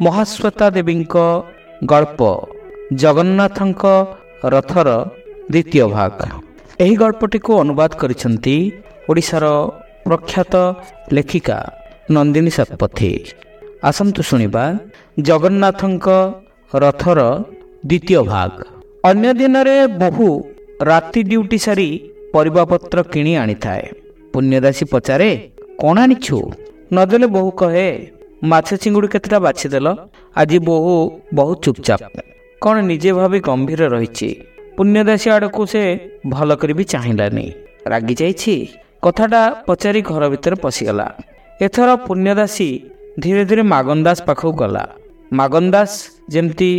ମହାଶ୍ୱେତା ଦେବୀଙ୍କ ଗଳ୍ପ ଜଗନ୍ନାଥଙ୍କ ରଥର ଦ୍ୱିତୀୟ ଭାଗ। ଏହି ଗଳ୍ପଟିକୁ ଅନୁବାଦ କରିଛନ୍ତି ଓଡ଼ିଶାର ପ୍ରଖ୍ୟାତ ଲେଖିକା ନନ୍ଦିନୀ ଶତପଥୀ। ଆସନ୍ତୁ ଶୁଣିବା ଜଗନ୍ନାଥଙ୍କ ରଥର ଦ୍ୱିତୀୟ ଭାଗ। ଅନ୍ୟ ଦିନରେ ବୋହୂ ରାତି ଡ୍ୟୁଟି ସାରି ପରିବାପତ୍ର କିଣି ଆଣିଥାଏ। ପୁଣ୍ୟଦାସୀ ପଚାରେ, କ'ଣ ଆଣିଛୁ? ନଦେଲେ ବୋହୂ କହେ, ମାଛ ଚିଙ୍ଗୁଡ଼ି କେତେଟା ବାଛିଦେଲ। ଆଜି ବୋହୂ ବହୁତ ଚୁପଚାପ, କ'ଣ ନିଜେ ଭାବି ଗମ୍ଭୀର ରହିଛି। ପୁଣ୍ୟଦାସୀ ଆଡ଼କୁ ସେ ଭଲ କରି ବି ଚାହିଁଲାନି। ରାଗି ଯାଇଛି। କଥାଟା ପଚାରି ଘର ଭିତରେ ପଶିଗଲା। ଏଥର ପୁଣ୍ୟଦାସୀ ଧୀରେ ଧୀରେ ମାଗନଦାସ ପାଖକୁ ଗଲା। ମାଗନଦାସ ଯେମିତି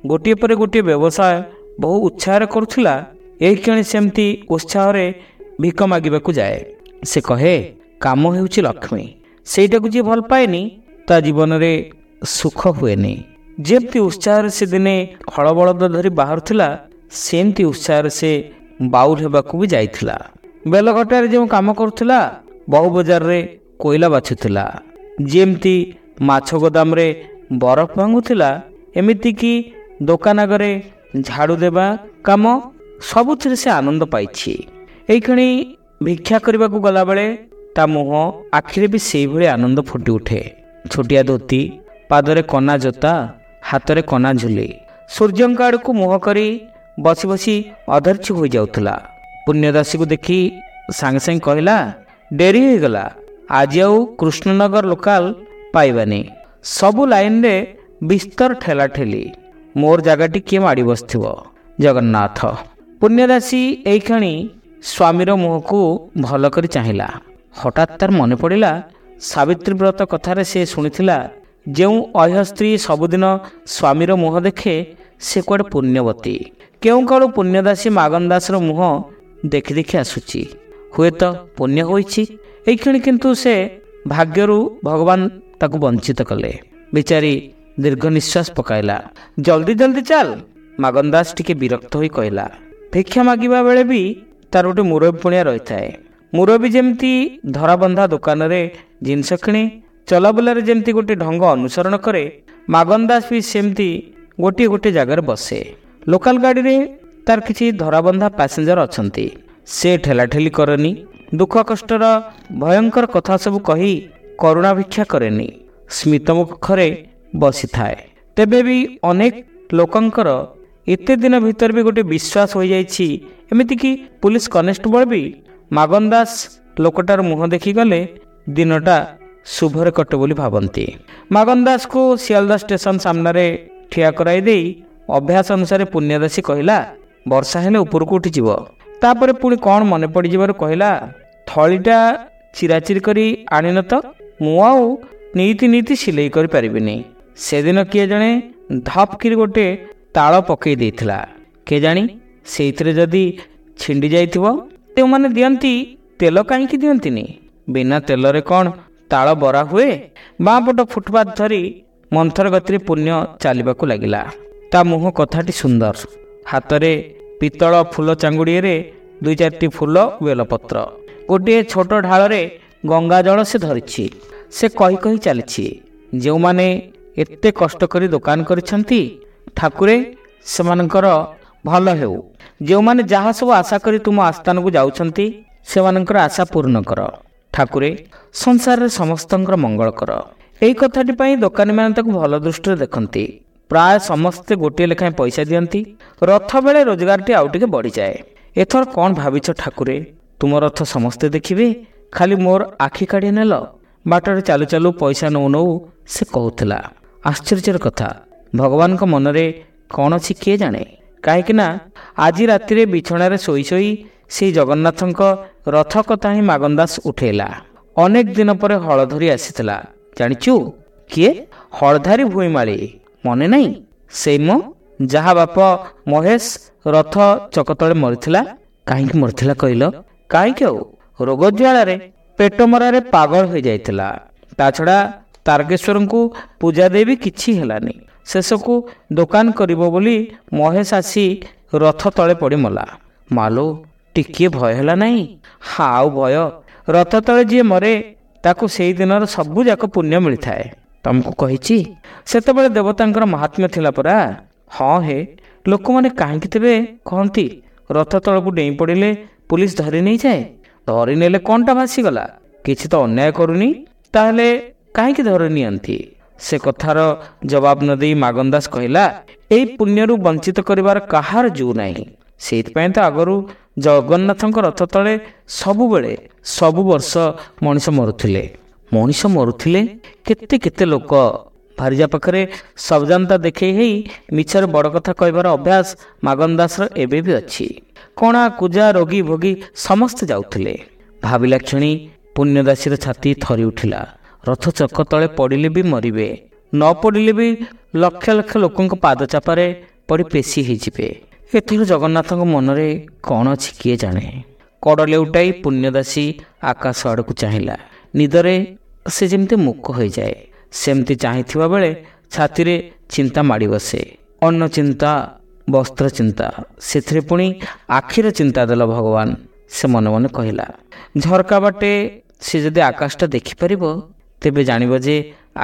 ଗୋଟିଏ ପରେ ଗୋଟିଏ ବ୍ୟବସାୟ ବହୁ ଉତ୍ସାହରେ କରୁଥିଲା, ଏଇକ୍ଷଣି ସେମିତି ଉତ୍ସାହରେ ଭିକ ମାଗିବାକୁ ଯାଏ। ସେ କହେ, କାମ ହେଉଛି ଲକ୍ଷ୍ମୀ, ସେଇଟାକୁ ଯିଏ ଭଲ ପାଏନି ତା ଜୀବନରେ ସୁଖ ହୁଏନି। ଯେମିତି ଉତ୍ସାହରେ ସେ ଦିନେ ହଳ ବଳଦ ଧରି ବାହାରୁଥିଲା, ସେମିତି ଉତ୍ସାହରେ ସେ ବାଉଲ ହେବାକୁ ବି ଯାଇଥିଲା। ବେଲଘଟାରେ ଯେଉଁ କାମ କରୁଥିଲା, ବହୁ ବଜାରରେ କୋଇଲା ବାଛୁଥିଲା, ଯେମିତି ମାଛ ଗୋଦାମରେ ବରଫ ଭାଙ୍ଗୁଥିଲା, ଏମିତିକି ଦୋକାନ ଆଗରେ ଝାଡ଼ୁ ଦେବା କାମ, ସବୁଥିରେ ସେ ଆନନ୍ଦ ପାଇଛି। ଏଇକ୍ଷଣି ଭିକ୍ଷା କରିବାକୁ ଗଲାବେଳେ ତା ମୁହଁ ଆଖିରେ ବି ସେଇଭଳି ଆନନ୍ଦ ଫୁଟି ଉଠେ। ଛୋଟିଆ ଧୋତି, ପାଦରେ କନା ଜୋତା, ହାତରେ କନା ଝୁଲି, ସୂର୍ଯ୍ୟଙ୍କ ଆଡ଼କୁ ମୁହଁ କରି ବସି ବସି ଅଧୈର୍ଯ୍ୟ ହୋଇଯାଉଥିଲା। ପୁଣ୍ୟଦାସୀକୁ ଦେଖି ସାଙ୍ଗେ ସାଙ୍ଗେ କହିଲା, ଡେରି ହୋଇଗଲା, ଆଜି ଆଉ କୃଷ୍ଣନଗର ଲୋକାଲ ପାଇବାନି। ସବୁ ଲାଇନରେ ବିସ୍ତର ଠେଲାଠେଲି, ମୋର ଜାଗାଟି କିଏ ମାଡ଼ି ବସିଥିବ। ଜଗନ୍ନାଥ। ପୁଣ୍ୟଦାସୀ ଏଇକ୍ଷଣି ସ୍ୱାମୀର ମୁହଁକୁ ଭଲ କରି ଚାହିଁଲା। ହଠାତ୍ ତାର ମନେ ପଡ଼ିଲା, ସାବିତ୍ରୀ ବ୍ରତ କଥାରେ ସେ ଶୁଣିଥିଲା, ଯେଉଁ ଅହ୍ୟ ସ୍ତ୍ରୀ ସବୁଦିନ ସ୍ୱାମୀର ମୁହଁ ଦେଖେ ସେ କୁଆଡ଼େ ପୁଣ୍ୟବତୀ। କେଉଁ କାଳୁ ପୁଣ୍ୟଦାସୀ ମାଗନଦାସର ମୁହଁ ଦେଖି ଦେଖି ଆସୁଛି, ହୁଏତ ପୁଣ୍ୟ ହୋଇଛି। ଏଇକ୍ଷଣି କିନ୍ତୁ ସେ ଭାଗ୍ୟରୁ ଭଗବାନ ତାକୁ ବଞ୍ଚିତ କଲେ। ବିଚାରୀ ଦୀର୍ଘ ନିଶ୍ୱାସ ପକାଇଲା। ଜଲ୍ଦି ଜଲ୍ଦି ଚାଲ, ମାଗନଦାସ ଟିକେ ବିରକ୍ତ ହୋଇ କହିଲା। ଭିକ୍ଷା ମାଗିବା ବେଳେ ବି ତାର ଗୋଟେ ମୁରବୀ ପୁଣିଆ ରହିଥାଏ। ମୁରବୀ ଯେମିତି ଧରାବନ୍ଧା ଦୋକାନରେ ଜିନିଷ କିଣେ, ଚଲାବୁଲାରେ ଯେମିତି ଗୋଟେ ଢଙ୍ଗ ଅନୁସରଣ କରେ, ମାଗନଦାସ ବି ସେମିତି ଗୋଟିଏ ଗୋଟିଏ ଜାଗାରେ ବସେ। ଲୋକାଲ ଗାଡ଼ିରେ ତାର କିଛି ଧରାବନ୍ଧା ପାସେଞ୍ଜର ଅଛନ୍ତି। ସେ ଠେଲାଠେଲି କରେନି, ଦୁଃଖ କଷ୍ଟର ଭୟଙ୍କର କଥା ସବୁ କହି କରୁଣା ଭିକ୍ଷା କରେନି, ସ୍ମିତ ମୁଖରେ ବସିଥାଏ। ତେବେ ବି ଅନେକ ଲୋକଙ୍କର ଏତେ ଦିନ ଭିତରେ ବି ଗୋଟେ ବିଶ୍ୱାସ ହୋଇଯାଇଛି। ଏମିତିକି ପୁଲିସ କନେଷ୍ଟବଳ ବି ମାଗନଦାସ ଲୋକଟାର ମୁହଁ ଦେଖିଗଲେ ଦିନଟା ଶୁଭରେ କଟେ ବୋଲି ଭାବନ୍ତି। ମାଗନଦାସକୁ ଶିଆଲଦା ଷ୍ଟେସନ ସାମ୍ନାରେ ଠିଆ କରାଇ ଦେଇ ଅଭ୍ୟାସ ଅନୁସାରେ ପୁଣ୍ୟଦାସୀ କହିଲା, ବର୍ଷା ହେଲେ ଉପରକୁ ଉଠିଯିବ। ତାପରେ ପୁଣି କ'ଣ ମନେ ପଡ଼ିଯିବାରୁ କହିଲା, ଥଳିଟା ଚିରାଚିରି କରି ଆଣିନ ତ, ମୁଁ ଆଉ ନୀତି ନୀତି ସିଲେଇ କରିପାରିବିନି। ସେଦିନ କିଏ ଜଣେ ଧପ୍ କିରି ଗୋଟେ ତାଳ ପକାଇ ଦେଇଥିଲା, କେଜାଣି ସେଇଥିରେ ଯଦି ଛିଣ୍ଡି ଯାଇଥିବ। ଯେଉଁମାନେ ଦିଅନ୍ତି ତେଲ କାହିଁକି ଦିଅନ୍ତିନି? ବିନା ତେଲରେ କ'ଣ ତାଳ ବରା ହୁଏ? ବାଁ ପଟ ଫୁଟପାଥ ଧରି ମନ୍ଥର ଗତିରେ ପୁଣ୍ୟ ଚାଲିବାକୁ ଲାଗିଲା। ତା ମୁହଁ କଥାଟି ସୁନ୍ଦର। ହାତରେ ପିତ୍ତଳ ଫୁଲ ଚାଙ୍ଗୁଡ଼ିଏରେ ଦୁଇ ଚାରିଟି ଫୁଲ, ବେଲପତ୍ର, ଗୋଟିଏ ଛୋଟ ଢାଳରେ ଗଙ୍ଗା ଜଳ ସେ ଧରିଛି। ସେ କହି କହି ଚାଲିଛି, ଯେଉଁମାନେ ଏତେ କଷ୍ଟ କରି ଦୋକାନ କରିଛନ୍ତି, ଠାକୁରେ ସେମାନଙ୍କର ଭଲ ହେଉ। ଯେଉଁମାନେ ଯାହା ସବୁ ଆଶା କରି ତୁମ ଆସ୍ଥାନକୁ ଯାଉଛନ୍ତି, ସେମାନଙ୍କର ଆଶା ପୂର୍ଣ୍ଣ କର। ଠାକୁରେ, ସଂସାରରେ ସମସ୍ତଙ୍କର ମଙ୍ଗଳ କର। ଏହି କଥାଟି ପାଇଁ ଦୋକାନୀମାନେ ତାକୁ ଭଲ ଦୃଷ୍ଟିରେ ଦେଖନ୍ତି। ପ୍ରାୟ ସମସ୍ତେ ଗୋଟିଏ ଲେଖାଏଁ ପଇସା ଦିଅନ୍ତି। ରଥ ବେଳେ ରୋଜଗାରଟି ଆଉ ଟିକେ ବଢ଼ିଯାଏ। ଏଥର କ'ଣ ଭାବିଛ ଠାକୁରେ? ତୁମ ରଥ ସମସ୍ତେ ଦେଖିବେ, ଖାଲି ମୋର ଆଖି କାଢ଼ି ନେଲ। ବାଟରେ ଚାଲୁ ଚାଲୁ ପଇସା ନଉ ନଉ ସେ କହୁଥିଲା। ଆଶ୍ଚର୍ଯ୍ୟର କଥା, ଭଗବାନଙ୍କ ମନରେ କ'ଣ ଅଛି କିଏ ଜାଣେ? କାହିଁକିନା ଆଜି ରାତିରେ ବିଛଣାରେ ଶୋଇ ଶୋଇ ସେଇ ଜଗନ୍ନାଥଙ୍କ ରଥ କଥା ହିଁ ମାଗନଦାସ ଉଠେଇଲା। ଅନେକ ଦିନ ପରେ ହଳ ଧରି ଆସିଥିଲା। ଜାଣିଛୁ କିଏ? ହଳଧାରୀ ଭୂଇଁମାଳି। ମନେ ନାହିଁ? ସେଇ ମୋ ଯାହା ବାପ ମହେଶ ରଥ ଚକ ତଳେ ମରିଥିଲା। କାହିଁକି ମରିଥିଲା କହିଲ? କାହିଁକି ଆଉ, ରୋଗ ଜ୍ୱାଳାରେ ପେଟ ମରାରେ ପାଗଳ ହୋଇଯାଇଥିଲା। ତା ଛଡ଼ା ତାରକେଶ୍ୱରଙ୍କୁ ପୂଜା ଦେଇ ବି କିଛି ହେଲାନି। ଶେଷକୁ ଦୋକାନ କରିବ ବୋଲି ମହେଶ ଆସି ରଥ ତଳେ ପଡ଼ି ମଲା। ମାଲୋ, ଟିକିଏ ଭୟ ହେଲା ନାହିଁ? ଆଉ ଭୟ? ରଥ ତଳେ ଯିଏ ମରେ ତାକୁ ସେଇ ଦିନର ସବୁ ଯାକ ପୁଣ୍ୟ ମିଳିଥାଏ। ତମକୁ କହିଛି। ସେତେବେଳେ ଦେବତାଙ୍କର ମହାତ୍ମ୍ୟ ଥିଲା ପରା। ହଁ ହେ, ଲୋକମାନେ କାହିଁକି ତେବେ କହନ୍ତି ରଥ ତଳକୁ ଡେଇଁ ପଡ଼ିଲେ ପୁଲିସ ଧରି ନେଇଯାଏ? ଧରି ନେଲେ କ'ଣଟା ଭାସିଗଲା? କିଛି ତ ଅନ୍ୟାୟ କରୁନି, ତାହେଲେ କାହିଁକି ଧରି ନିଅନ୍ତି? ସେ କଥାର ଜବାବ ନ ଦେଇ ମାଗନ ଦାସ କହିଲା, ଏଇ ପୁଣ୍ୟରୁ ବଞ୍ଚିତ କରିବାର କାହାର ଜୁ ନାହିଁ। ସେଇଥିପାଇଁ ତ ଆଗରୁ ଜଗନ୍ନାଥଙ୍କ ରଥ ତଳେ ସବୁବେଳେ ସବୁ ବର୍ଷ ମଣିଷ ମରୁଥିଲେ। ମଣିଷ ମରୁଥିଲେ କେତେ କେତେ ଲୋକ। ଭାରିଜା ପାଖରେ ସବଜାନ୍ତା ଦେଖେଇ ହେଇ ମିଛରେ ବଡ଼ କଥା କହିବାର ଅଭ୍ୟାସ ମାଗନ ଦାସର ଏବେ ବି ଅଛି। କଣା କୁଜା ରୋଗୀ ଭୋଗୀ ସମସ୍ତେ ଯାଉଥିଲେ। ଭାବିଲା କ୍ଷଣି ପୁଣ୍ୟଦାସୀର ଛାତି ଥରି ଉଠିଲା। ରଥ ଚକ ତଳେ ପଡ଼ିଲେ ବି ମରିବେ, ନ ପଡ଼ିଲେ ବି ଲକ୍ଷ ଲକ୍ଷ ଲୋକଙ୍କ ପାଦ ଚାପାରେ ପଡ଼ି ପେଶି ହେଇଯିବେ। ଏଥର ଜଗନ୍ନାଥଙ୍କ ମନରେ କ'ଣ ଅଛି କିଏ ଜାଣେ। କଡ଼ ଲେଉଟାଇ ପୁଣ୍ୟଦାସୀ ଆକାଶ ଆଡ଼କୁ ଚାହିଁଲା। ନିଦରେ ସେ ଯେମିତି ମୂକ ହୋଇଯାଏ, ସେମିତି ଚାହିଁଥିବା ବେଳେ ଛାତିରେ ଚିନ୍ତା ମାଡ଼ି ବସେ। ଅନ୍ନ ଚିନ୍ତା, ବସ୍ତ୍ର ଚିନ୍ତା, ସେଥିରେ ପୁଣି ଆଖିର ଚିନ୍ତା ଦେଲ ଭଗବାନ, ସେ ମନେ ମନେ କହିଲା। ଝରକା ବାଟେ ସେ ଯଦି ଆକାଶଟା ଦେଖିପାରିବ ତେବେ ଜାଣିବ ଯେ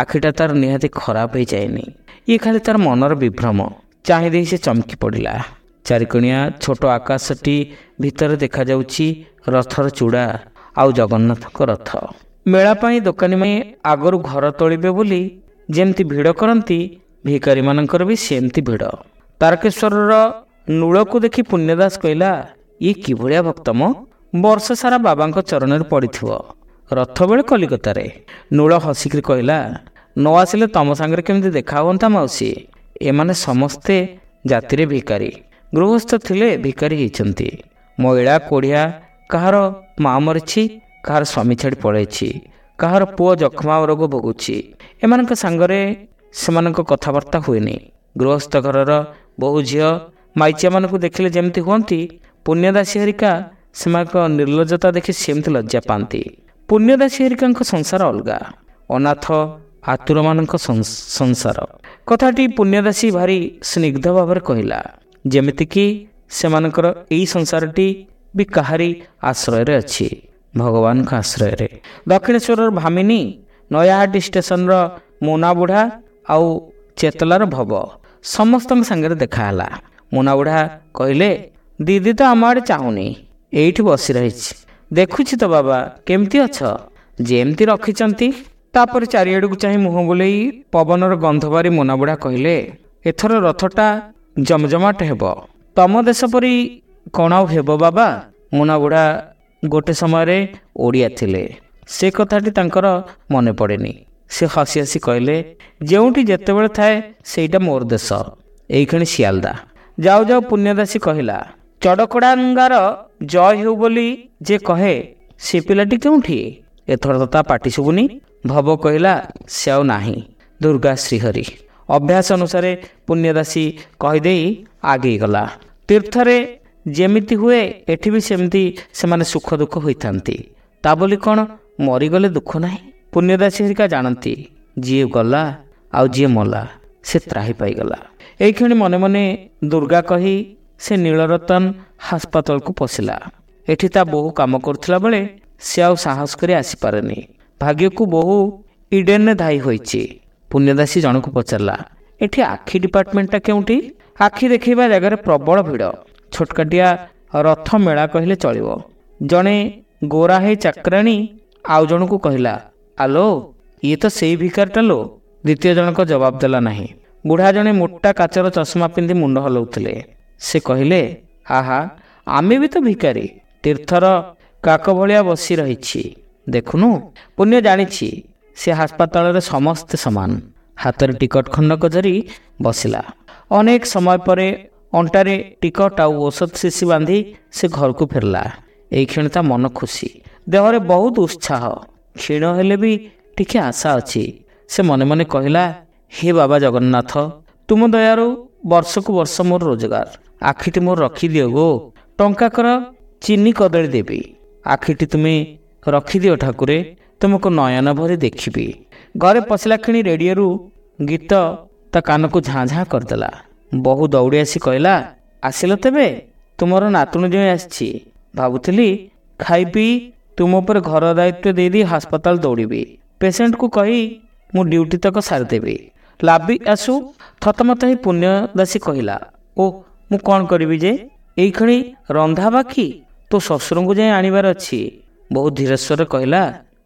ଆଖିଟା ତାର ନିହାତି ଖରାପ ହେଇଯାଇନି, ଇଏ ଖାଲି ତାର ମନର ବିଭ୍ରମ। ଚାହିଁ ଦେଇ ସେ ଚମକି ପଡ଼ିଲା। ଚାରିକଣିଆ ଛୋଟ ଆକାଶଟି ଭିତରେ ଦେଖାଯାଉଛି ରଥର ଚୂଡ଼ା ଆଉ ଜଗନ୍ନାଥଙ୍କ ରଥ। ମେଳା ପାଇଁ ଦୋକାନୀମାନେ ଆଗରୁ ଘର ତୋଳିବେ ବୋଲି ଯେମିତି ଭିଡ଼ କରନ୍ତି, ଭିକାରୀମାନଙ୍କର ବି ସେମିତି ଭିଡ଼। ତାରକେଶ୍ୱରର ନୂଳକୁ ଦେଖି ପୁଣ୍ୟଦାସ କହିଲା, ଇଏ କିଭଳିଆ ଭକ୍ତମ, ବର୍ଷ ସାରା ବାବାଙ୍କ ଚରଣରେ ପଡ଼ିଥିବ, ରଥ ବେଳେ କଲିକତାରେ। ନୂଳ ହସିକିରି କହିଲା, ନ ଆସିଲେ ତମ ସାଙ୍ଗରେ କେମିତି ଦେଖା ହୁଅନ୍ତା ମାଉସୀ? ଏମାନେ ସମସ୍ତେ ଜାତିରେ ଭିକାରୀ, ଗୃହସ୍ଥ ଥିଲେ ଭିକାରୀ ହେଇଛନ୍ତି। ମଇଳା କୋଢ଼ିଆ, କାହାର ମା ମରିଛି, କାହାର ସ୍ୱାମୀ ଛାଡ଼ି ପଳେଇଛି, କାହାର ପୁଅ ଯକ୍ଷ୍ମା ରୋଗ ଭୋଗୁଛି। ଏମାନଙ୍କ ସାଙ୍ଗରେ ସେମାନଙ୍କ କଥାବାର୍ତ୍ତା ହୁଏନି। ଗୃହସ୍ଥ ଘରର ବୋହୂ ଝିଅ ମାଇଚିଆମାନଙ୍କୁ ଦେଖିଲେ ଯେମିତି ହୁଅନ୍ତି, ପୁଣ୍ୟଦାସୀ ହେରିକା ସେମାନଙ୍କ ନିର୍ଲଜ୍ଜତା ଦେଖି ସେମିତି ଲଜ୍ଜା ପାଆନ୍ତି। ପୁଣ୍ୟଦାସୀ ହେରିକାଙ୍କ ସଂସାର ଅଲଗା, ଅନାଥ ଆତୁରମାନଙ୍କ ସଂସାର। କଥାଟି ପୁଣ୍ୟଦାସୀ ଭାରି ସ୍ନିଗ୍ଧ ଭାବରେ କହିଲା, ଯେମିତିକି ସେମାନଙ୍କର ଏଇ ସଂସାରଟି ବି କାହାରି ଆଶ୍ରୟରେ ଅଛି, ଭଗବାନଙ୍କ ଆଶ୍ରୟରେ। ଦକ୍ଷିଣେଶ୍ୱରର ଭାମିନୀ, ନୟାହାଟି ଷ୍ଟେସନର ମୋନା ବୁଢ଼ା ଆଉ ଚେତଲାର ଭବ ସମସ୍ତଙ୍କ ସାଙ୍ଗରେ ଦେଖାହେଲା। ମୋନା ବୁଢ଼ା କହିଲେ, ଦିଦି ତ ଆମ ଆଡ଼େ ଚାହୁଁନି, ଏଇଠି ବସି ରହିଛି। ଦେଖୁଛି ତ ବାବା, କେମିତି ଅଛ? ଯେମିତି ରଖିଛନ୍ତି। ତାପରେ ଚାରିଆଡ଼କୁ ଚାହିଁ ମୁହଁ ବୁଲେଇ ପବନର ଗନ୍ଧ ବାରି ମୋନା ବୁଢ଼ା କହିଲେ, ଏଥର ରଥଟା ଜମଜମାଟ ହେବ। ତମ ଦେଶ ପରି କ'ଣ ଆଉ ହେବ ବାବା? ମୋନା ବୁଢ଼ା ଗୋଟେ ସମୟରେ ଓଡ଼ିଆ ଥିଲେ, ସେ କଥାଟି ତାଙ୍କର ମନେ ପଡ଼େନି। ସେ ହସି ହସି କହିଲେ, ଯେଉଁଠି ଯେତେବେଳେ ଥାଏ ସେଇଟା ମୋର ଦେଶ, ଏଇକ୍ଷଣି ଶିଆଲଦା। ଯାଉ ଯାଉ ପୁଣ୍ୟଦାସୀ କହିଲା, ଚଡ଼କଡ଼ାଙ୍ଗାର ଜୟ ହେଉ ବୋଲି ଯେ କହେ ସେ ପିଲାଟି କେଉଁଠି? ଏଥର ତ ତା ପାଟି ଶୁଭୁନି। ଭବ କହିଲା, ସେ ଆଉ ନାହିଁ, ଦୁର୍ଗା ଶ୍ରୀହରି। ଅଭ୍ୟାସ ଅନୁସାରେ ପୁଣ୍ୟଦାସୀ କହିଦେଇ ଆଗେଇ ଗଲା। ତୀର୍ଥରେ ଯେମିତି ହୁଏ ଏଠି ବି ସେମିତି ସେମାନେ ସୁଖ ଦୁଃଖ ହୋଇଥାନ୍ତି। ତା ବୋଲି କ'ଣ ମରିଗଲେ ଦୁଃଖ ନାହିଁ? ପୁଣ୍ୟଦାସୀ ହେରିକା ଜାଣନ୍ତି, ଯିଏ ଗଲା ଆଉ ଯିଏ ମଲା ସେ ତ୍ରାହି ପାଇଗଲା। ଏଇକ୍ଷଣି ମନେ ମନେ ଦୁର୍ଗା କହି ସେ ନୀଳରତନ ହାସପାତାଳକୁ ପଶିଲା। ଏଠି ତା ବୋହୂ କାମ କରୁଥିଲା ବେଳେ ସେ ଆଉ ସାହସ କରି ଆସିପାରେନି। ଭାଗ୍ୟକୁ ବୋହୂ ଇଡେନରେ ଧାଇ ହୋଇଛି। ପୁଣ୍ୟଦାସୀ ଜଣକୁ ପଚାରିଲା, ଏଠି ଆଖି ଡିପାର୍ଟମେଣ୍ଟଟା କେଉଁଠି? ଆଖି ଦେଖେଇବା ଜାଗାରେ ପ୍ରବଳ ଭିଡ଼, ଛୋଟକାଟିଆ ରଥ ମେଳା କହିଲେ ଚଳିବ। ଜଣେ ଗୋରା ହେଇ ଚାକରାଣୀ ଆଉ ଜଣକୁ କହିଲା, ଆଲୋ ଇଏ ତ ସେଇ ଭିକାରଟା ଲୋ। ଦ୍ୱିତୀୟ ଜଣକ ଜବାବ ଦେଲା ନାହିଁ। ବୁଢ଼ା ଜଣେ ମୋଟା କାଚର ଚଷମା ପିନ୍ଧି ମୁଣ୍ଡ ହଲାଉଥିଲେ। ସେ କହିଲେ, ଆହା, ଆମେ ବି ତ ଭିକାରୀ, ତୀର୍ଥର କାକ ଭଳିଆ ବସି ରହିଛି ଦେଖୁନୁ। ପୁଣ୍ୟ ଜାଣିଛି ସେ ହାସପାତାଳରେ ସମସ୍ତେ ସମାନ। ହାତରେ ଟିକଟ ଖଣ୍ଡକ ଧରି ବସିଲା। ଅନେକ ସମୟ ପରେ ଅଣ୍ଟାରେ ଟିକଟ ଆଉ ଔଷଧ ଶିଶି ବାନ୍ଧି ସେ ଘରକୁ ଫେରିଲା। ଏଇକ୍ଷଣି ତା ମନ ଖୁସି, ଦେହରେ ବହୁତ ଉତ୍ସାହ, କ୍ଷୀଣ ହେଲେ ବି ଟିକେ ଆଶା ଅଛି। ସେ ମନେ ମନେ କହିଲା, ହେ ବାବା ଜଗନ୍ନାଥ, ତୁମ ଦୟାରୁ ବର୍ଷକୁ ବର୍ଷ ମୋର ରୋଜଗାର, ଆଖିଟି ମୋର ରଖିଦିଅ ଗୋ। ଟଙ୍କାକର ଚିନି କଦଳୀ ଦେବି, ଆଖିଟି ତୁମେ ରଖିଦିଅ ଠାକୁରେ, ତୁମକୁ ନୟନ ଭରି ଦେଖିବି। ଘରେ ପଶିଲା କ୍ଷଣି ରେଡ଼ିଓରୁ ଗୀତ ତା କାନକୁ ଝାଁ ଝାଁ କରିଦେଲା। ବୋହୂ ଦୌଡ଼ି ଆସି କହିଲା, ଆସିଲ ତେବେ? ତୁମର ନାତୁଣୀ ଜଣେ ଆସିଛି। ଭାବୁଥିଲି ଖାଇ ପିଇ ତୁମ ଉପରେ ଘର ଦାୟିତ୍ୱ ଦେଇଦେଇ ହାସପାତାଳ ଦୌଡ଼ିବି। ପେସେଣ୍ଟକୁ କହି ମୁଁ ଡ୍ୟୁଟି ତକ ସାରିଦେବି। ଲାବି ଆସୁ। ଥତମତ ହେଇ ପୁଣ୍ୟଦାସୀ କହିଲା, ଓ ମୁଁ କ'ଣ କରିବି ଯେ, ଏଇକ୍ଷଣି ରନ୍ଧା ବାକି, ତୋ ଶ୍ୱଶୁରଙ୍କୁ ଯାଇ ଆଣିବାର ଅଛି। ବହୁତ ଧୀର ସ୍ୱରରେ କହିଲା,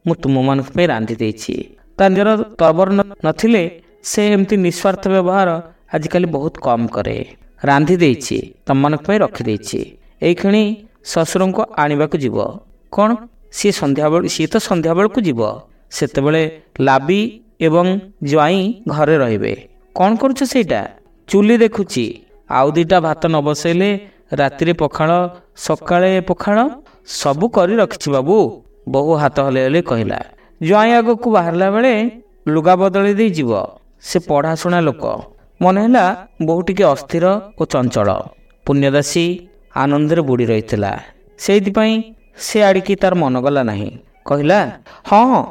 ମୁଁ ତୁମମାନଙ୍କ ପାଇଁ ରାନ୍ଧି ଦେଇଛି। ତା ନିଜର ତରବର ନଥିଲେ ସେ ଏମିତି ନିସ୍ୱାର୍ଥ ବ୍ୟବହାର ଆଜିକାଲି ବହୁତ କମ୍ କରେ। ରାନ୍ଧି ଦେଇଛି, ତମମାନଙ୍କ ପାଇଁ ରଖିଦେଇଛି, ଏଇକ୍ଷଣି ଶ୍ୱଶୁରଙ୍କୁ ଆଣିବାକୁ ଯିବ। କ'ଣ ସିଏ ସନ୍ଧ୍ୟାବେଳ? ସିଏ ତ ସନ୍ଧ୍ୟାବେଳକୁ ଯିବ, ସେତେବେଳେ ଲାବି ଏବଂ ଜ୍ୱାଇଁ ଘରେ ରହିବେ। କ'ଣ କରୁଛ ସେଇଟା? ଚୁଲି ଦେଖୁଛି। ଆଉ ଦୁଇଟା ଭାତ ନ ବସେଇଲେ ରାତିରେ ପଖାଳ, ସକାଳେ ପଖାଳ। ସବୁ କରି ରଖିଛି ବାବୁ, ବୋହୂ ହାତ ହଲେଇ ହଲେଇ କହିଲା। ଜ୍ୱାଇଁ ଆଗକୁ ବାହାରିଲା ବେଳେ ଲୁଗା ବଦଳେଇ ଦେଇ ଯିବ। ସେ ପଢ଼ାଶୁଣା ଲୋକ। ମନେ ହେଲା ବୋହୂ ଟିକେ ଅସ୍ଥିର ଓ ଚଞ୍ଚଳ। ପୁଣ୍ୟଦାସୀ ଆନନ୍ଦରେ ବୁଡ଼ି ରହିଥିଲା, ସେଇଥିପାଇଁ ସେ ଆଡ଼ିକି ତାର ମନ ଗଲା ନାହିଁ। କହିଲା, ହଁ ହଁ,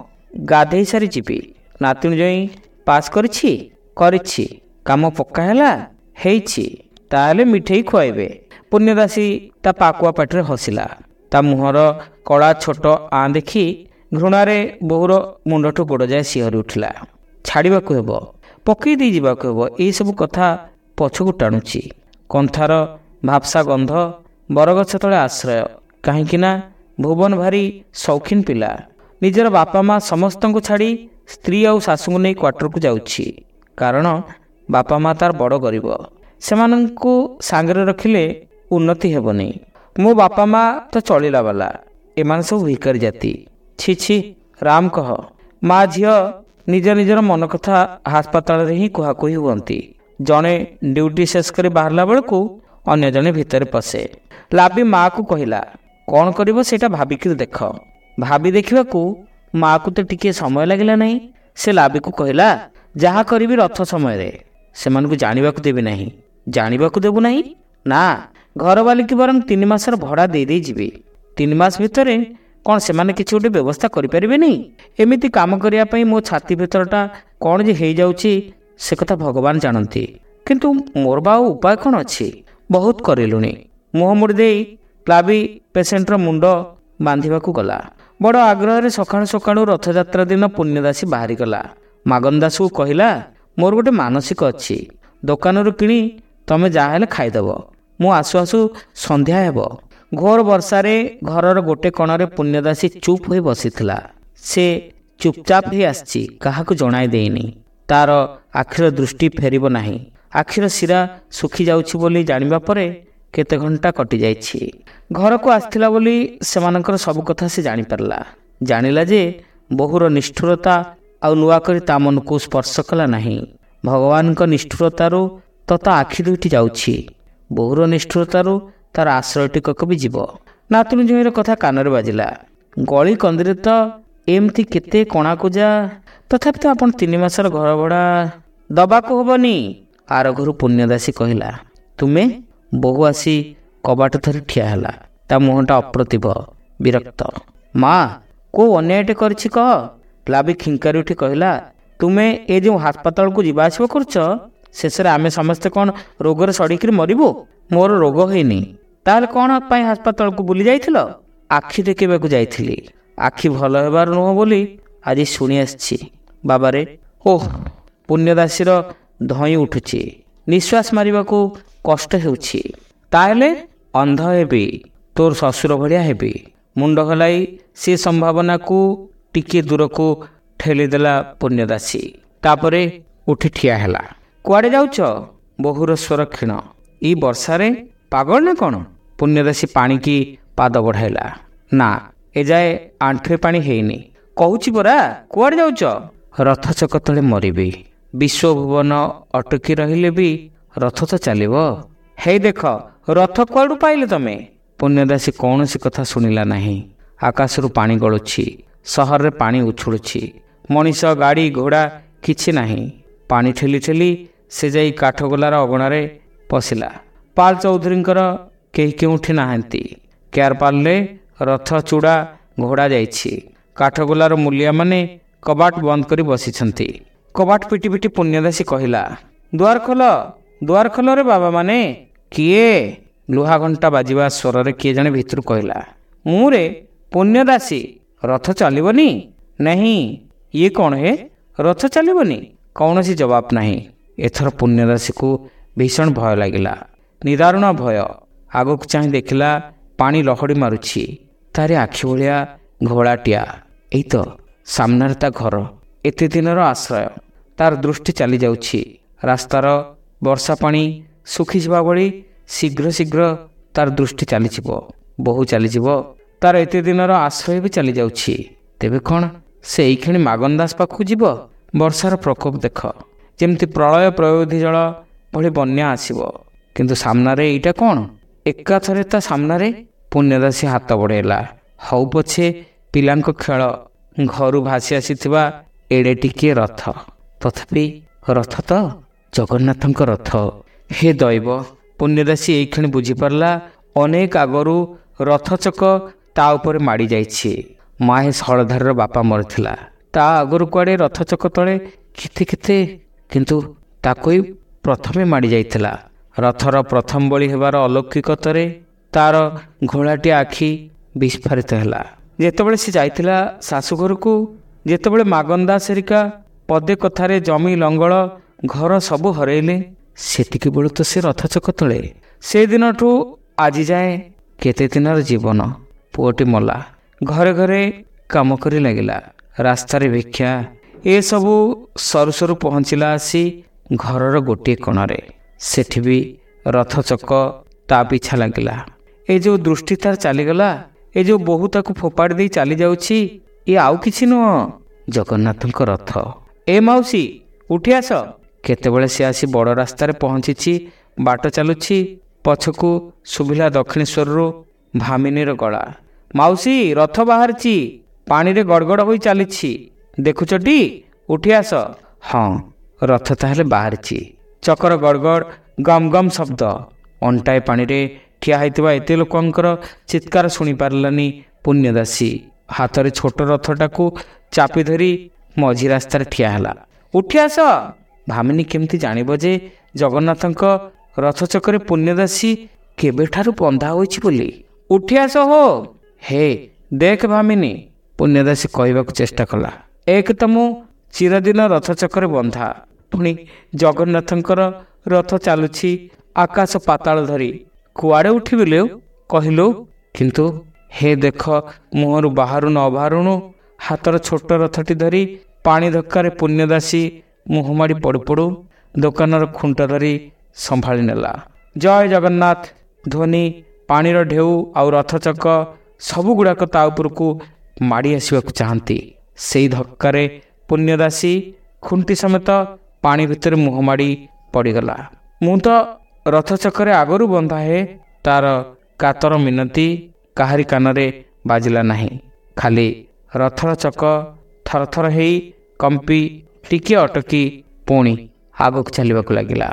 ଗାଧେଇ ସାରି ଯିବି। ନାତୁଣୀ ଜଇଁ ପାସ୍ କରିଛି? କରିଛି। କାମ ପକ୍କା ହେଲା? ହେଇଛି। ତାହେଲେ ମିଠେଇ ଖୁଆଇବେ। ପୁଣ୍ୟଦାସୀ ତା ପାକୁଆ ପାଟିରେ ହସିଲା। ତା ମୁହଁର କଳା ଛୋଟ ଆଁ ଦେଖି ଘୃଣାରେ ବୋହୂର ମୁଣ୍ଡଠୁ ଗୋଡ଼ ଯାଏ ଶିହରି ଉଠିଲା। ଛାଡ଼ିବାକୁ ହେବ, ପକେଇ ଦେଇ ଯିବାକୁ ହେବ, ଏଇସବୁ କଥା ପଛକୁ ଟାଣୁଛି। କନ୍ଥାର ଭାପସା ଗନ୍ଧ, ବରଗଛ ତଳେ ଆଶ୍ରୟ। କାହିଁକି ନା ଭୁବନ ଭାରି ସୌଖିନ ପିଲା। ନିଜର ବାପା ମା ସମସ୍ତଙ୍କୁ ଛାଡ଼ି ସ୍ତ୍ରୀ ଆଉ ଶାଶୁଙ୍କୁ ନେଇ କ୍ୱାର୍ଟରକୁ ଯାଉଛି, କାରଣ ବାପା ମା ତାର ବଡ଼ ଗରିବ। ସେମାନଙ୍କୁ ସାଙ୍ଗରେ ରଖିଲେ ଉନ୍ନତି ହେବନି। ମୋ ବାପା ମା ତ ଚଳିଲା ବାଲା, ଏମାନେ ସବୁ ଭିକାରୀ ଜାତି। ଛି ଛି, ରାମ କହ। ମା ଝିଅ ନିଜ ନିଜର ମନ କଥା ହାସପାତାଳରେ ହିଁ କୁହାକୁହି ହୁଅନ୍ତି। ଜଣେ ଡ୍ୟୁଟି ଶେଷ କରି ବାହାରିଲା ବେଳକୁ ଅନ୍ୟ ଜଣେ ଭିତରେ ପଶେ। ଲାବି ମାଆକୁ କହିଲା, କ'ଣ କରିବ ସେଇଟା ଭାବିକିରି ଦେଖ। ଭାବି ଦେଖିବାକୁ ମାଆକୁ ତ ଟିକିଏ ସମୟ ଲାଗିଲା ନାହିଁ। ସେ ଲାବିକୁ କହିଲା, ଯାହା କରିବି ରଥ ସମୟରେ, ସେମାନଙ୍କୁ ଜାଣିବାକୁ ଦେବି ନାହିଁ। ଜାଣିବାକୁ ଦେବୁ ନାହିଁ? ନା, ଘରବାଲିକି ବରଂ 3 ମାସର ଭଡ଼ା ଦେଇ ଯିବି। 3 ମାସ ଭିତରେ କ'ଣ ସେମାନେ କିଛି ଗୋଟେ ବ୍ୟବସ୍ଥା କରିପାରିବେନି? ଏମିତି କାମ କରିବା ପାଇଁ ମୋ ଛାତି ଭିତରଟା କ'ଣ ଯେ ହେଇଯାଉଛି ସେ କଥା ଭଗବାନ ଜାଣନ୍ତି। କିନ୍ତୁ ମୋର ବା ଆଉ ଉପାୟ କ'ଣ ଅଛି? ବହୁତ କରିଲୁଣି। ମୁହଁ ମୋଡ଼ି ଦେଇ ଲାବି ପେସେଣ୍ଟର ମୁଣ୍ଡ ବାନ୍ଧିବାକୁ ଗଲା। ବଡ଼ ଆଗ୍ରହରେ ସକାଳୁ ସକାଳୁ ରଥଯାତ୍ରା ଦିନ ପୁଣ୍ୟଦାସୀ ବାହାରିଗଲା। ମାଗନ ଦାସକୁ କହିଲା, ମୋର ଗୋଟେ ମାନସିକ ଅଛି, ଦୋକାନରୁ କିଣି ତମେ ଯାହା ହେଲେ ଖାଇଦେବ। ମୁଁ ଆସୁ ଆସୁ ସନ୍ଧ୍ୟା ହେବ। ଘୋର ବର୍ଷାରେ ଘରର ଗୋଟେ କଣରେ ପୁଣ୍ୟଦାସୀ ଚୁପ୍ ହୋଇ ବସିଥିଲା। ସେ ଚୁପଚାପ ହେଇ ଆସିଛି, କାହାକୁ ଜଣାଇ ଦେଇନି। ତାର ଆଖିର ଦୃଷ୍ଟି ଫେରିବ ନାହିଁ। ଆଖିର ଶିରା ଶୁଖି ଯାଉଛି ବୋଲି ଜାଣିବା ପରେ କେତେ ଘଣ୍ଟା କଟିଯାଇଛି। ଘରକୁ ଆସିଥିଲା ବୋଲି ସେମାନଙ୍କର ସବୁ କଥା ସେ ଜାଣିପାରିଲା। ଜାଣିଲା ଯେ ବୋହୂର ନିଷ୍ଠୁରତା ଆଉ ନୂଆ କରି ତା ମନକୁ ସ୍ପର୍ଶ କଲା ନାହିଁ। ଭଗବାନଙ୍କ ନିଷ୍ଠୁରତାରୁ ତ ତା ଆଖି ଦୁଇଟି ଯାଉଛି, ବୋହୂର ନିଷ୍ଠୁରତାରୁ ତାର ଆଶ୍ରୟ ଟିକକ ବି ଯିବ। ନାତୁଣୀ ଜୋଇଁର କଥା କାନରେ ବାଜିଲା। ଗଳି କନ୍ଦିରେ ତ ଏମିତି କେତେ କଣାକୁଜା, ତଥାପି ତ ଆପଣ 3 ମାସର ଘର ଭଡ଼ା ଦବାକୁ ହବନି। ଆର ଘରୁ ପୁଣ୍ୟଦାସୀ କହିଲା, ତୁମେ? ବୋହୂ ଆସି କବାଟ ଧରି ଠିଆ ହେଲା। ତା ମୁହଁଟା ଅପ୍ରତିଭ, ବିରକ୍ତ। ମା, କୋଉ ଅନ୍ୟାୟଟେ କରିଛି କହ? ଲାବି ଖିଙ୍କାରି ଉଠି କହିଲା, ତୁମେ ଏ ଯେଉଁ ହାସପାତାଳକୁ ଯିବା ଆସିବା କରୁଛ, ଶେଷରେ ଆମେ ସମସ୍ତେ କ'ଣ ରୋଗରେ ସଢ଼ିକିରି ମରିବୁ? ମୋର ରୋଗ ହେଇନି। ତାହେଲେ କ'ଣ ପାଇଁ ହାସପାତାଳକୁ ବୁଲି ଯାଇଥିଲ? ଆଖି ଦେଖେଇବାକୁ ଯାଇଥିଲି। ଆଖି ଭଲ ହେବାର ନୁହଁ ବୋଲି ଆଜି ଶୁଣି ଆସିଛି। ବାବାରେ, ଓହ! ପୁଣ୍ୟଦାସୀର ଧଇଁ ଉଠୁଛି, ନିଶ୍ୱାସ ମାରିବାକୁ କଷ୍ଟ ହେଉଛି। ତାହେଲେ ଅନ୍ଧ ହେବି, ତୋର ଶ୍ୱଶୁର ଭଳିଆ ହେବି। ମୁଣ୍ଡ ହଲାଇ ସେ ସମ୍ଭାବନାକୁ ଟିକିଏ ଦୂରକୁ ଠେଲିଦେଲା ପୁଣ୍ୟଦାସୀ। ତାପରେ ଉଠି ଠିଆ ହେଲା। କୁଆଡ଼େ ଯାଉଛ? ବୋହୂର ସ୍ୱର କ୍ଷୀଣ। ଏଇ ବର୍ଷାରେ ପାଗଳ ନା କ'ଣ? ପୁଣ୍ୟଦାସୀ ପାଣିକି ପାଦ ବଢ଼ାଇଲା। ନା, ଏଯାଏ ଆଣ୍ଠୁଏ ପାଣି ହେଇନି। କହୁଛି ପରା, କୁଆଡ଼େ ଯାଉଛ? ରଥ ଚକ ତଳେ ମରିବି। ବିଶ୍ୱଭୁବନ ଅଟକି ରହିଲେ ବି ରଥ ତ ଚାଲିବ। ହେଇ ଦେଖ, ରଥ କୁଆଡ଼ୁ ପାଇଲେ ତମେ? ପୁଣ୍ୟଦାସୀ କୌଣସି କଥା ଶୁଣିଲା ନାହିଁ। ଆକାଶରୁ ପାଣି ଗଳୁଛି, ସହରରେ ପାଣି ଉଛୁଳୁଛି। ମଣିଷ, ଗାଡ଼ି, ଘୋଡ଼ା କିଛି ନାହିଁ। ପାଣି ଠେଲି ଠେଲି ସେ ଯାଇ କାଠଗୋଲାର ଅଗଣାରେ ପଶିଲା। ପାଲ ଚୌଧୁରୀଙ୍କର କେହି କେଉଁଠି ନାହାନ୍ତି। କେୟାରପାଲରେ ରଥ ଚୂଡ଼ା ଘୋଡ଼ା ଯାଇଛି। କାଠଗୋଲାର ମୂଲିଆମାନେ କବାଟ ବନ୍ଦ କରି ବସିଛନ୍ତି। କବାଟ ପିଟି ପିଟି ପୁଣ୍ୟଦାସୀ କହିଲା, ଦୁଆର ଖୋଲ, ଦୁଆର ଖୋଲରେ ବାବାମାନେ। କିଏ? ଲୁହା ଘଣ୍ଟା ବାଜିବା ସ୍ୱରରେ କିଏ ଜଣେ ଭିତରୁ କହିଲା, ମୁଁ ରେ ପୁଣ୍ୟଦାସୀ। ରଥ ଚାଲିବନି? ନାହିଁ। ଇଏ କ'ଣ ହେ? ରଥ ଚାଲିବନି? କୌଣସି ଜବାବ ନାହିଁ। ଏଥର ପୁଣ୍ୟଦାସୀକୁ ଭୀଷଣ ଭୟ ଲାଗିଲା, ନିଦାରୁଣ ଭୟ। ଆଗକୁ ଚାହିଁ ଦେଖିଲା ପାଣି ଲହଡ଼ି ମାରୁଛି। ତାରି ଆଖି ଭଳିଆ ଘୋଳାଟିଆ। ଏଇ ତ ସାମ୍ନାରେ ତା ଘର, ଏତେ ଦିନର ଆଶ୍ରୟ। ତାର ଦୃଷ୍ଟି ଚାଲିଯାଉଛି। ରାସ୍ତାର ବର୍ଷା ପାଣି ଶୁଖିଯିବା ଭଳି ଶୀଘ୍ର ଶୀଘ୍ର ତାର ଦୃଷ୍ଟି ଚାଲିଯିବ। ବୋହୂ ଚାଲିଯିବ, ତାର ଏତେ ଦିନର ଆଶ୍ରୟ ବି ଚାଲିଯାଉଛି। ତେବେ କ'ଣ ସେ ଏଇକ୍ଷଣି ମାଗନ ଦାସ ପାଖକୁ ଯିବ? ବର୍ଷାର ପ୍ରକୋପ ଦେଖ, ଯେମିତି ପ୍ରଳୟ ପ୍ରୟୋଧି ଜଳ ଭଳି ବନ୍ୟା ଆସିବ। କିନ୍ତୁ ସାମ୍ନାରେ ଏଇଟା କ'ଣ? ଏକାଥରେ ତା ସାମ୍ନାରେ। ପୁଣ୍ୟଦାସୀ ହାତ ବଢ଼େଇଲା। ହଉ ପଛେ ପିଲାଙ୍କ ଖେଳ, ଘରୁ ଭାସି ଆସିଥିବା ଏଡ଼େ ଟିକିଏ ରଥ, ତଥାପି ରଥ ତ ଜଗନ୍ନାଥଙ୍କ ରଥ। ହେ ଦୈବ! ପୁଣ୍ୟଦାସୀ ଏଇକ୍ଷଣି ବୁଝିପାରିଲା ଅନେକ ଆଗରୁ ରଥଚକ ତା ଉପରେ ମାଡ଼ି ଯାଇଛି। ମହେଶ ହଳଧରର ବାପା ମରିଥିଲା, ତା ଆଗରୁ କୁଆଡ଼େ ରଥଚକ ତଳେ କେତେ କେତେ, କିନ୍ତୁ ତାକୁ ହିଁ ପ୍ରଥମେ ମାଡ଼ି ଯାଇଥିଲା। ରଥର ପ୍ରଥମ ବଳି ହେବାର ଅଲୌକିକତରେ ତାର ଘୋଳାଟି ଆଖି ବିସ୍ଫାରିତ ହେଲା। ଯେତେବେଳେ ସେ ଯାଇଥିଲା ଶାଶୁଘରକୁ, ଯେତେବେଳେ ମାଗନଦାସ ହେରିକା ପଦେ କଥାରେ ଜମି ଲଙ୍ଗଳ ଘର ସବୁ ହରେଇଲେ, ସେତିକି ବେଳୁ ତ ସେ ରଥଚକ ତଳେ। ସେଦିନଠୁ ଆଜି ଯାଏ କେତେ ଦିନର ଜୀବନ। ପୁଅଟି ମଲା, ଘରେ ଘରେ କାମ କରି ଲାଗିଲା, ରାସ୍ତାରେ ଭିକ୍ଷା, ଏସବୁ ସରୁ ସରୁ ପହଞ୍ଚିଲା ଆସି ଘରର ଗୋଟିଏ କୋଣରେ। ସେଠି ବି ରଥଚକ ତା ପିଛା ଲାଗିଲା। ଏ ଯେଉଁ ଦୃଷ୍ଟି ତାର ଚାଲିଗଲା, ଏ ଯେଉଁ ବୋହୂ ତାକୁ ଫୋପାଡ଼ି ଦେଇ ଚାଲିଯାଉଛି, ଇଏ ଆଉ କିଛି ନୁହଁ, ଜଗନ୍ନାଥଙ୍କ ରଥ। ଏ ମାଉସୀ, ଉଠି ଆସ। କେତେବେଳେ ସେ ଆସି ବଡ଼ ରାସ୍ତାରେ ପହଞ୍ଚିଛି, ବାଟ ଚାଲୁଛି, ପଛକୁ ଶୁଭିଲା ଦକ୍ଷିଣେଶ୍ୱରରୁ ଭାମିନୀର ଗଳା, ମାଉସୀ ରଥ ବାହାରିଛି, ପାଣିରେ ଗଡ଼ଗଡ଼ ହୋଇ ଚାଲିଛି, ଦେଖୁଛଟି, ଉଠି ଆସ। ହଁ, ରଥ ତାହେଲେ ବାହାରିଛି। ଚକର ଗଡ଼ଗଡ଼ ଗମ୍ ଗମ୍ ଶବ୍ଦ। ଅଣ୍ଟାଏ ପାଣିରେ ଠିଆ ହୋଇଥିବା ଏତେ ଲୋକଙ୍କର ଚିତ୍କାର ଶୁଣିପାରିଲାନି ପୁଣ୍ୟଦାସୀ। ହାତରେ ଛୋଟ ରଥଟାକୁ ଚାପି ଧରି ମଝି ରାସ୍ତାରେ ଠିଆ ହେଲା। ଉଠି ଆସ। ଭାମିନୀ କେମିତି ଜାଣିବ ଯେ ଜଗନ୍ନାଥଙ୍କ ରଥଚକରେ ପୁଣ୍ୟଦାସୀ କେବେଠାରୁ ବନ୍ଧା ହୋଇଛି ବୋଲି? ଉଠି ଆସ ହୋ। ହେ ଦେଖ ଭାମିନୀ, ପୁଣ୍ୟଦାସୀ କହିବାକୁ ଚେଷ୍ଟା କଲା, ଏକ ତ ମୁଁ ଚିରଦିନ ରଥଚକରେ ବନ୍ଧା, ପୁଣି ଜଗନ୍ନାଥଙ୍କର ରଥ ଚାଲୁଛି ଆକାଶ ପାତାଳ ଧରି, କୁଆଡ଼େ ଉଠିବି ଲୋ କହିଲୁ? କିନ୍ତୁ ହେ ଦେଖ, ମୁହଁରୁ ବାହାରୁ ନ ବାହାରୁଣୁ ହାତର ଛୋଟ ରଥଟି ଧରି ପାଣି ଧକ୍କାରେ ପୁଣ୍ୟଦାସୀ ମୁହଁ ମାଡ଼ି ପଡ଼ୁ ପଡ଼ୁ ଦୋକାନର ଖୁଣ୍ଟ ଧରି ସମ୍ଭାଳି ନେଲା। ଜୟ ଜଗନ୍ନାଥ ଧ୍ୱନି, ପାଣିର ଢେଉ ଆଉ ରଥଚକ ସବୁଗୁଡ଼ାକ ତା ଉପରକୁ ମାଡ଼ି ଆସିବାକୁ ଚାହାନ୍ତି। ସେଇ ଧକ୍କାରେ ପୁଣ୍ୟଦାସୀ ଖୁଣ୍ଟି ସମେତ ପାଣି ଭିତରେ ମୁହଁ ମାଡ଼ି ପଡ଼ିଗଲା। ମୁଁ ତ ରଥଚକରେ ଆଗରୁ ବନ୍ଧା ହେ। ତାର କାତର ମିନତି କାହାରି କାନରେ ବାଜିଲା ନାହିଁ। ଖାଲି ରଥର ଚକ ଥରଥର ହେଇ କମ୍ପି ଟିକିଏ ଅଟକି ପୁଣି ଆଗକୁ ଚାଲିବାକୁ ଲାଗିଲା।